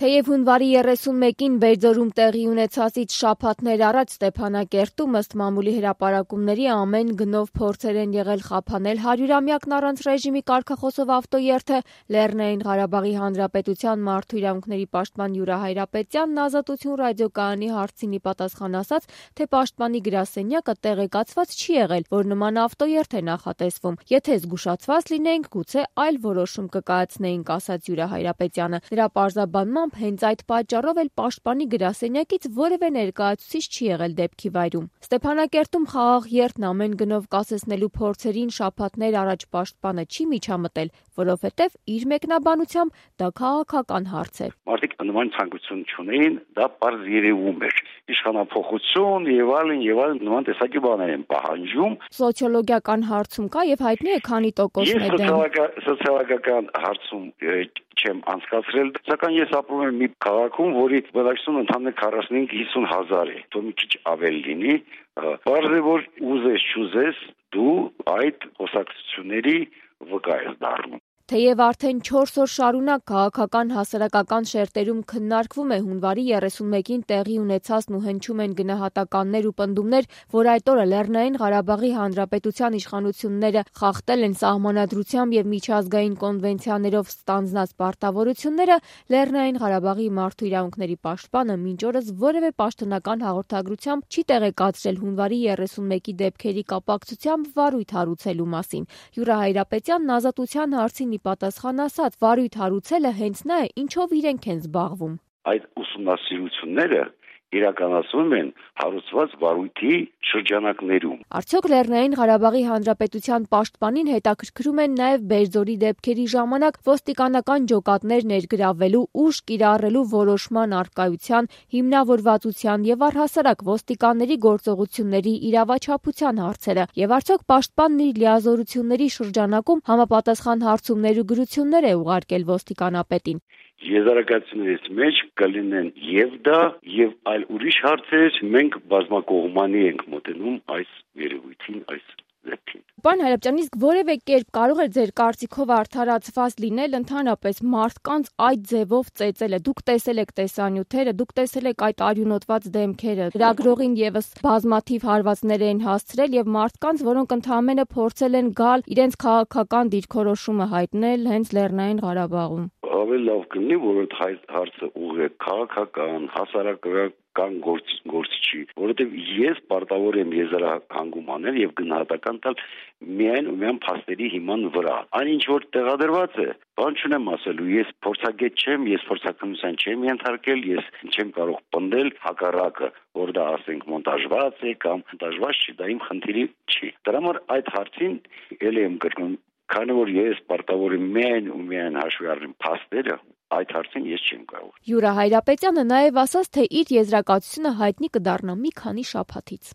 Թեև հունվարի 31-ին Բերձորում տեղի ունեցածից շաբաթներ առաջ Ստեփանակերտում ըստ մամուլի հրապարակումների ամեն գնով փորձեր են եղել խափանել 100-ամյակն առանց ռեժիմի կարգախոսով ավտոերթը, Լեռնային Ղարաբաղի Հանրապետության մարդու իրավունքների պաշտպան Յուրա Հայրապետյանն Ազատություն ռադիոկայանի հարցին ի պատասխան ասաց, թե պաշտպանի գրասենյակը տեղեկացված չի եղել, որ նման ավտոերթ է նախատեսվում։ Եթե զգուշացված լինեինք, գուցե այլ որոշում կկայացնեինք, ասաց Յուրա Հայրապետյանը։ Նրա պարզաբանմամբ հենց այդ պատճառով էլ պաշտպանի գրասենյակից որևէ ներկայացուցիչ չի եղել դեպքի վայրում։ Ստեփանակերտում խաղաղ երթն ամեն գնով կասեցնելու փորձերին շաբաթներ առաջ պաշտպանը չի միջամտել, որովհետև իր մեկնաբանությամբ դա քաղաքական հարց է։ Մարդիկ նման ցանկություն չունեին, դա պարզ երևում էր։ Իշխանափոխություն եւ այլն նման տեսակի բաներ են պահանջում։ Սոցիոլոգիական հարցում կա եւ հայտնի է քանի տոկոսն է դեմ։ Սոցիալական հարցում չեմ անցկացրել, սակայն ես ապրում եմ մի քաղաքում, որի բնակչությունը ընդամենը 45-50 հազար է, թող մի քիչ ավել լինի, բարձր է, որ ուզես չուզես դու այդ խոսակցությունների վկա ես դառնում։ Թեև արդեն 4 օր շարունակ քաղաքական հասարակական շերտերում քննարկվում է հունվարի 31-ին տեղի ունեցածն ու հնչում են գնահատականներ ու պնդումներ, որ այդ օրը Լեռնային Ղարաբաղի Հանրապետության իշխանությունները խախտել են սահմանադրությամբ եւ միջազգային կոնվենցիաներով ստանձնած պարտավորությունները, Լեռնային Ղարաբաղի մարդու իրավունքների պաշտպանը մինչ օրս որևէ պաշտոնական հաղորդագրությամբ չի տեղեկացրել հունվարի 31-ի դեպքերի կապակցությամբ վարույթ հարուցելու մասին։ Յուրա Հայրապետյանն Ազատության հարցին ի պատասխան ասաց, վարույթ հարուցելը հենց նա է, ինչով իրենք են զբաղվում։ Այդ ուսումնասիրությունները իրականացվում են հարուցված վարույթի շրջանակներում։ Արդյոք Լեռնային Ղարաբաղի Հանրապետության պաշտպանին հետաքրքրում են նաև Բերձորի դեպքերի ժամանակ ոստիկանական ջոկատներ ներգրավելու, ուժ կիրառելու որոշման առկայության, հիմնավորվածության եւ առհասարակ ոստիկանների գործողությունների իրավաչափության հարցերը, եւ արդյոք պաշտպանն իր լիազորությունների շրջանակում համապատասխան հարցումներ ու գրություններ է ուղարկել ոստիկանապետին։ Եզրակացություններից մեջ կլինեն եւ դա եւ այլ ուրիշ հարցեր, մենք բազմակողմանի ենք մոտենում այս երևույթին, այս դեպքին։ Պարոն Հայրապետյան, իսկ որևէ կերպ կարող է ձեր կարծիքով արդարացված լինել ընդհանրապես մարդկանց այդ ձևով ծեծելը։ Դուք տեսել եք տեսանյութերը, դուք տեսել եք այդ արյունոտված դեմքերը։ Լրագրողին եւս բազմաթիվ հարվածներ են հասցրել եւ մարդկանց, որոնք ընդհանրապես փորձել են գալ իրենց քաղաքական դիրքորոշումը հայտնել հենց Լեռնային Ղարաբաղում։ Ավելի լավ կլինի, որ այդ հարցը ուղղեք քաղաքական, հասարակական գործիչի, որովհետև ես պարտավոր եմ եզրահանգում անել եւ գնահատական տալ միայն ու միայն փաստերի հիման վրա։ Այն ինչ որ տեղադրված է, բան չունեմ ասելու, ես փորձագետ չեմ, ես փորձաքննության չեմ ենթարկել, ես չեմ կարող պնդել հակառակը, որ դա ասենք մոնտաժված է կամ մոնտաժված չի, դա իմ խնդիրի չի։ Դրա համար այդ հարցին ելի եմ կրկնում, քանի որ ես պարտավոր եմ միայն ու միայն հաշվի առնեմ փաստերը, այդ հարցին ես չեմ կարող։ Յուրա Հայրապետյանը նաև ասաց, թե իր եզրակացությունը հայտնի կդառնա մի քանի շաբաթից։